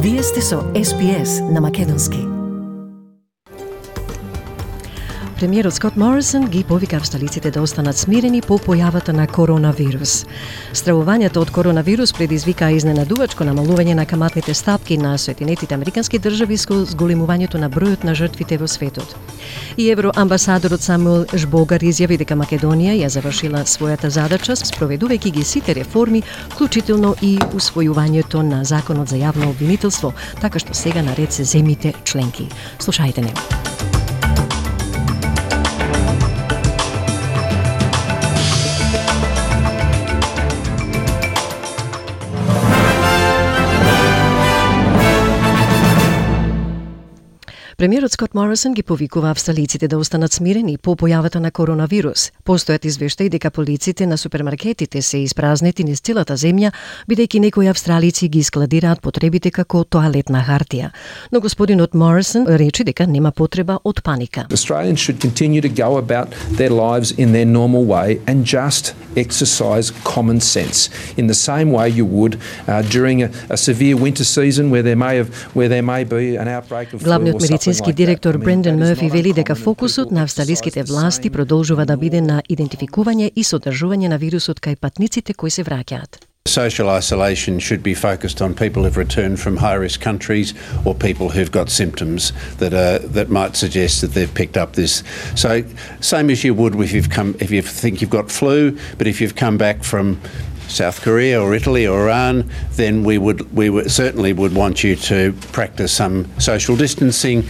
Вие сте со SPS на македонски. Премиерот Скот Морисон ги повика австралиците да останат смирени по појавата на коронавирус. Стравувањето од коронавирус предизвика изненадувачко намалување на каматните стапки на Соединетите американски држави со зголемувањето на бројот на жртвите во светот. И евроамбасадорот Самуел Жбогар изјави дека Македонија ја завршила својата задача спроведувајќи ги сите реформи, вклучително и усвојувањето на законот за јавно обвинителство, така што сега наред се земјите членки. Слушајте не. Премиерот Скот Морисон ги повикува австралиците да останат смирени по појавата на коронавирус. Постојат извештаи дека полиците на супермаркетите се испразнети низ целата земја, бидејќи некои австралици ги складираат потребите како тоалетна хартија. Но господинот Морисон рече дека нема потреба од паника. Australians should continue to go about their lives in their normal way and just exercise common sense in the same way you would during a severe winter season where there may be an outbreak of flu or something. Медицински директор Брендан Мърфи вели дека фокусот на австралиските власти продолжува да биде на идентификување и содржување на вирусот кај патниците кои се враќаат. Social isolation should be focused on people who've returned from high-risk countries or people who've got symptoms that might suggest that they've picked up this. So, same as you would if you think you've got flu, but if you've come back from South Korea or Italy or Iran, then we certainly would want you to practice some social distancing,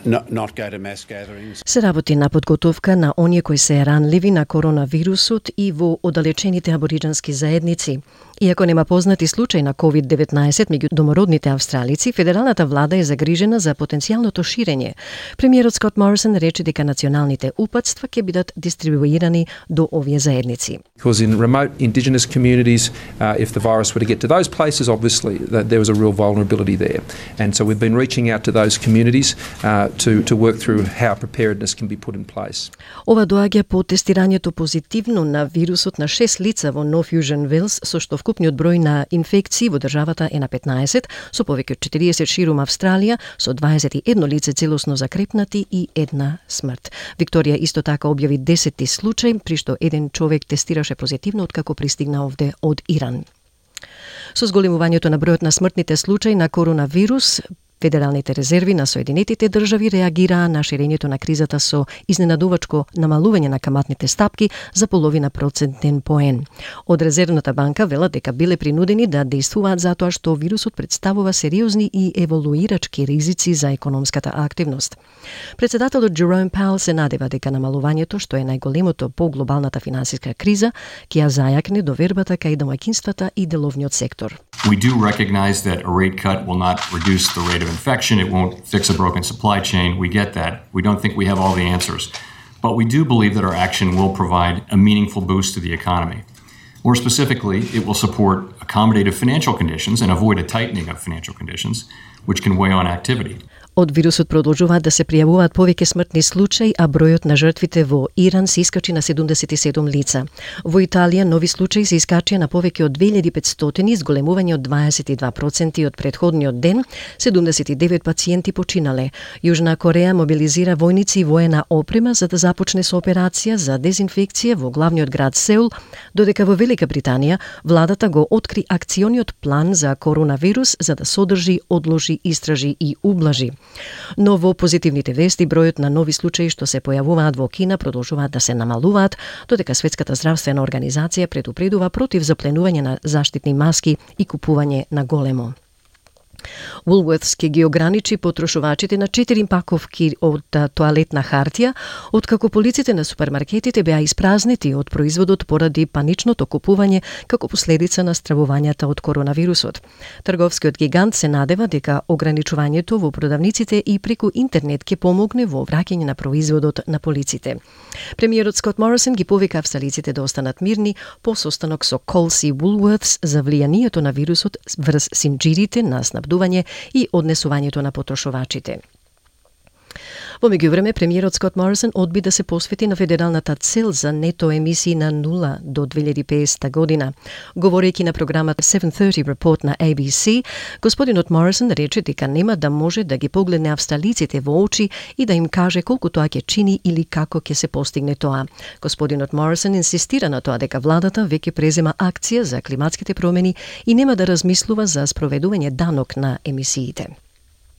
not go to mass gatherings. Се работи на подготовка на оние кои се ранливи на коронавирусот и во оддалечените абориџански заедници. Иако нема познати случај на COVID-19 меѓу домородните австралици, федералната влада е загрижена за потенцијалното ширење. Премиерот Скот Морисон рече дека националните упатства ќе бидат дистрибуирани до овие заедници. Because in remote indigenous communities, if the virus were to get to those places, obviously there was a real vulnerability there. And so we've been reaching out to those communities to work through how preparedness can be put in place. Ова доаѓа по тестирањето позитивно на вирусот на 6 лица во North Fusion Wales, со што вкупниот број на инфекции во државата е на 15, со повеќе од 40 ширум Австралија, со 21 лице целосно закрепнати и 1 смрт. Викторија исто така објави 10-ти случај, при што еден човек тестираше позитивно откако пристигна овде од Иран. Со зголемувањето на бројот на смртните случаи на коронавирус, Федералните резерви на Соединетите држави реагираа на ширењето на кризата со изненадувачко намалување на каматните стапки за половина процентен поен. Од Резервната банка велат дека биле принудени да действуваат затоа што вирусот представува сериозни и еволуирачки ризици за економската активност. Председателот Джероум Пауел се надева дека намалувањето, што е најголемото по глобалната финансиска криза, ќе ја зајакне довербата кај домаќинствата и деловниот сектор. We do recognize that a rate cut will not reduce the rate of infection. It won't fix a broken supply chain. We get that. We don't think we have all the answers. But we do believe that our action will provide a meaningful boost to the economy. More specifically, it will support accommodative financial conditions and avoid a tightening of financial conditions, which can weigh on activity. Од вирусот продолжуваат да се пријавуваат повеќе смртни случаи, а бројот на жртвите во Иран се искачи на 77 лица. Во Италија нови случаи се искачија на повеќе од 2500, зголемување од 22% од претходниот ден, 79 пациенти починале. Јужна Кореја мобилизира војници и воена опрема за да започне со операција за дезинфекција во главниот град Сеул, додека во Велика Британија владата го откри акциониот план за коронавирус за да содржи, одложи, истражи и ублажи. Но во позитивните вести бројот на нови случаи што се појавуваат во Кина продолжуваат да се намалуваат, додека Светската здравствена организација предупредува против запленување на заштитни маски и купување на големо. Woolworths ќе ги ограничи потрошувачите на 4 паковки од тоалетна хартија, откако полиците на супермаркетите беа испразнети од производот поради паничното купување како последица на стравувањата од коронавирусот. Трговскиот гигант се надева дека ограничувањето во продавниците и преку интернет ќе помогне во враќање на производот на полиците. Премиерот Скот Морисон ги повика австралиците да останат мирни по состанок со Coles и Woolworths за влијанието на вирусот врз синџирите на снабдување и однесувањето на потрошувачите. Во меѓувреме, премиерот Скот Морисон одби да се посвети на федералната цел за нето емисии на 0 до 2050 година. Говорејќи на програмата 730 Report на ABC, господинот Морисон рече дека нема да може да ги погледне австралиците во очи и да им каже колку тоа ќе чини или како ќе се постигне тоа. Господинот Морисон инсистира на тоа дека владата веќе презема акција за климатските промени и нема да размислува за спроведување данок на емисиите.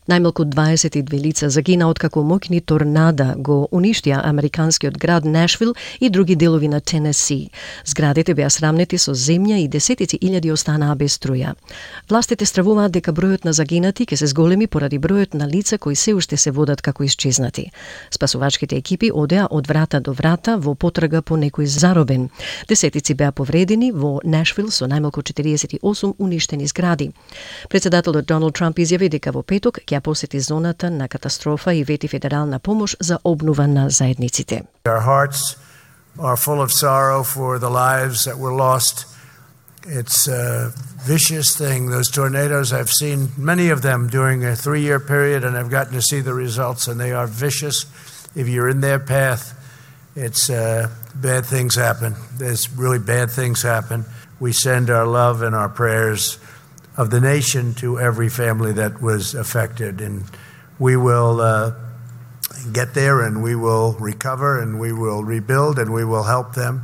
Најмалку 22 лица загина откако моќни торнада го уништија американскиот град Нашвил и други делови на Тенеси. Зградите беа срамнети со земја и десетици илјади останаа без струја. Властите стравуваат дека бројот на загинати ќе се зголеми поради бројот на лица кои се уште се водат како исчезнати. Спасувачките екипи одеа од врата до врата во потрага по некој заробен. Десетици беа повредени во Нашвил со најмалку 48 уништени згради. Председателот Доналд Трамп изјави дека во петок ќе посети зоната на катастрофа и вети федерална помош за обнова на заедниците. Our hearts are full of sorrow for the lives that were lost. It's a vicious thing. Those tornadoes, I've seen many of them during a 3-year period, and I've gotten to see the results, and they are vicious. If you're in their path, it's bad things happen. There's really bad things happen. We send our love and our prayers of the nation to every family that was affected, and we will get there, and we will recover, and we will rebuild, and we will help them.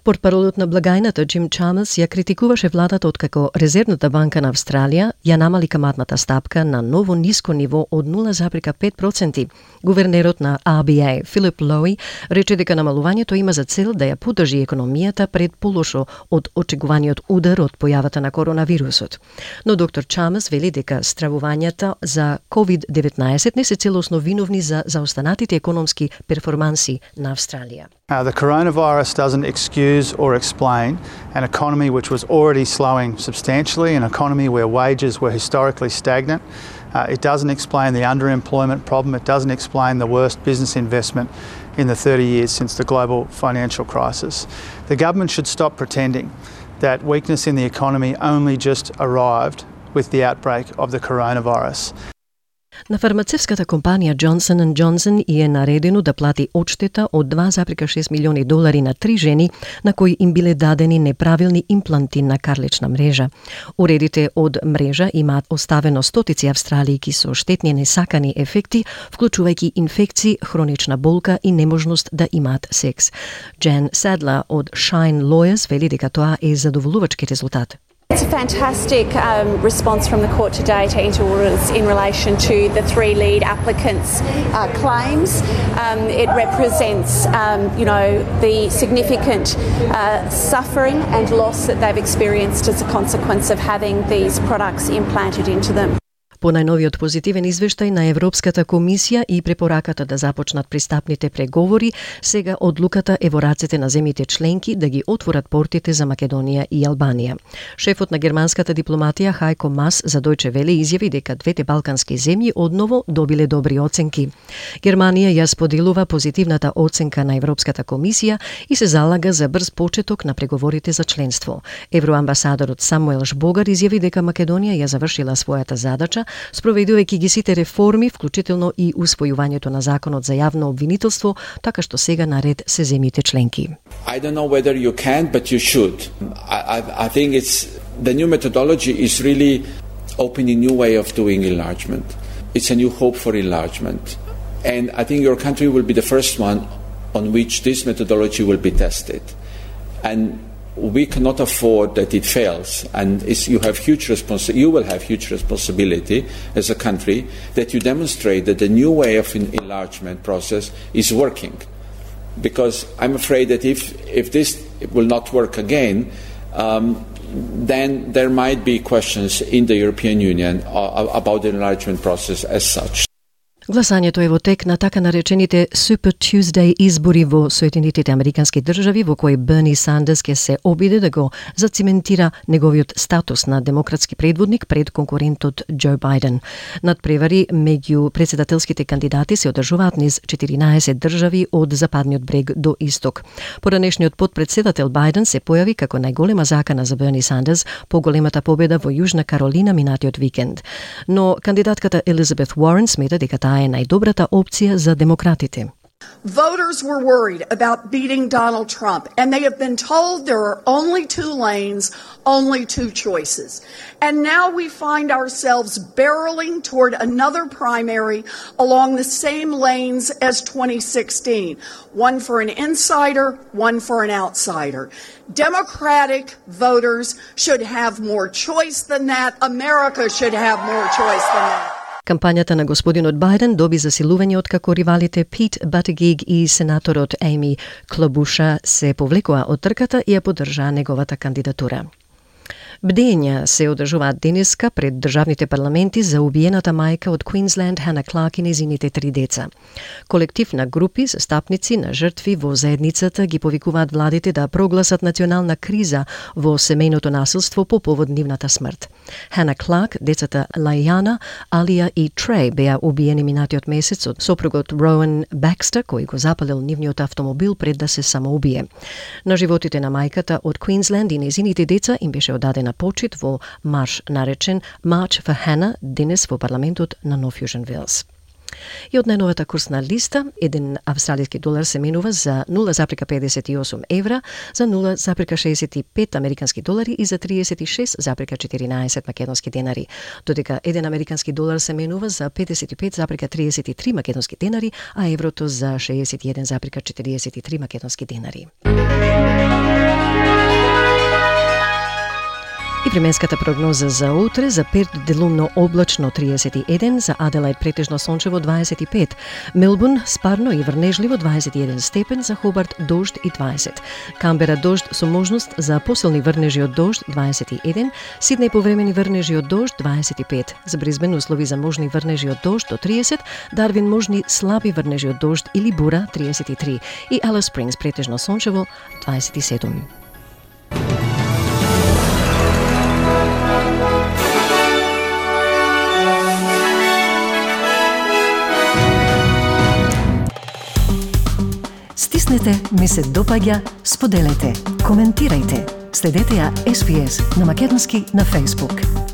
Портпаролот на благајната Джим Чамас ја критикуваше владата откако Резервната банка на Австралија ја намали каматната стапка на ново ниско ниво од 0,5%. Гувернерот на RBA Филип Лоуи рече дека намалувањето има за цел да ја поддржи економијата пред полошо од очекуваниот удар од појавата на коронавирусот. Но доктор Чамас вели дека стравувањата за COVID-19 не се целосно виновни за заостанатите економски перформанси на Австралија. The coronavirus doesn't excuse or explain an economy which was already slowing substantially, an economy where wages were historically stagnant. It doesn't explain the underemployment problem. It doesn't explain the worst business investment in the 30 years since the global financial crisis. The government should stop pretending that weakness in the economy only just arrived with the outbreak of the coronavirus. На фармацевската компанија Johnson & Johnson е наредено да плати одштета од $2,6 милиони на 3 жени на кои им биле дадени неправилни импланти на карлична мрежа. Уредите од мрежа имаат оставено стотици австралијки со штетни несакани ефекти, вклучувајќи инфекции, хронична болка и неможност да имаат секс. Jan Sadler од Shine Lawyers вели дека тоа е задоволувачки резултат. It's a fantastic response from the court today to enter orders in relation to the 3 lead applicants' claims. It represents, the significant suffering and loss that they've experienced as a consequence of having these products implanted into them. По најновиот позитивен извештај на Европската комисија и препораката да започнат пристапните преговори, сега одлуката е во рацете на земјите членки да ги отворат портите за Македонија и Албанија. Шефот на германската дипломатија Хајко Мас за Дојче Веле изјави дека двете балкански земји одново добиле добри оценки. Германија ја споделува позитивната оценка на Европската комисија и се залага за брз почеток на преговорите за членство. Евроамбасадорот Самуел Жбогар изјави дека Македонија ја завршила својата задача спроведувајќи ги сите реформи, вклучително и усвојувањето на законот за јавно обвинителство, така што сега наред се земјите членки. I don't know whether you can, but you should. I think the new methodology is really opening a new way of doing enlargement. It's a new hope for enlargement. And I think your country will be the first one on which this methodology will be tested. And we cannot afford that it fails, and you will have huge responsibility as a country that you demonstrate that the new way of enlargement process is working. Because I'm afraid that if this will not work again, then there might be questions in the European Union about the enlargement process as such. Гласањето е во тек на така наречените Super Tuesday избори во Соединетите Американски држави, во кои Берни Сандерс ќе се обиде да го зациментира неговиот статус на демократски предводник пред конкурентот Џо Бајден. Надпревари меѓу председателските кандидати се одржуваат низ 14 држави од западниот брег до исток. Поранешниот подпредседател Бајден се појави како најголема закана за Берни Сандерс по големата победа во Јужна Каролина минатиот викенд. Но кандидатката Елизабет Уорен смета дека таа е најдобрата опција за демократите. Voters were worried about beating Donald Trump, and they have been told there are only two lanes, only two choices. And now we find ourselves barreling toward another primary along the same lanes as 2016. One for an insider, one for an outsider. Democratic voters should have more choice than that. America should have more choice than that. Кампањата на господинот Бајден доби засилување откако ривалите Пит Батигиг и сенаторот Еми Клобуша се повлекоа од трката и ја поддржаа неговата кандидатура. Бдења се одржуваат денеска пред државните парламенти за убиената мајка од Квинсленд Хана Кларк и незините 3 деца. Колектив на групи застапници на жртви во заедницата ги повикуваат владите да прогласат национална криза во семејното насилство по повод нивната смрт. Хана Кларк, децата Лајана, Алија и Трей беа убиени минатиот месец од сопругот Роуен Бакстер, кој го запалил нивниот автомобил пред да се самоубие. На животите на мајката од Квинсленд и незините деца им беше одадена почит во марш наречен March for Hannah денес во парламентот на Нов Јужен Велс. И од најновата курсна листа, 1 австралиски долар се менува за 0,58 евра, за 0,65 американски долари и за 36,14 македонски денари, додека 1 американски долар се менува за 55,33 македонски денари, а еврото за 61,43 македонски денари. И временската прогноза за утре: за Перт делумно облачно 31, за Аделаид претежно сончево 25, Мелбурн спарно и врнежливо 21 степен, за Хобарт дожд и 20, Камбера дожд со можност за посилни врнежи од дожд 21, Сиднеј повремени врнежи од дожд 25, за Брисбен услови за можни врнежи од дожд до 30, Дарвин можни слаби врнежи од дожд или бура 33 и Алис Спрингс претежно сончево 27. Стиснете, ми се допаѓа, споделете, коментирајте. Следете ја SPS на македонски на Facebook.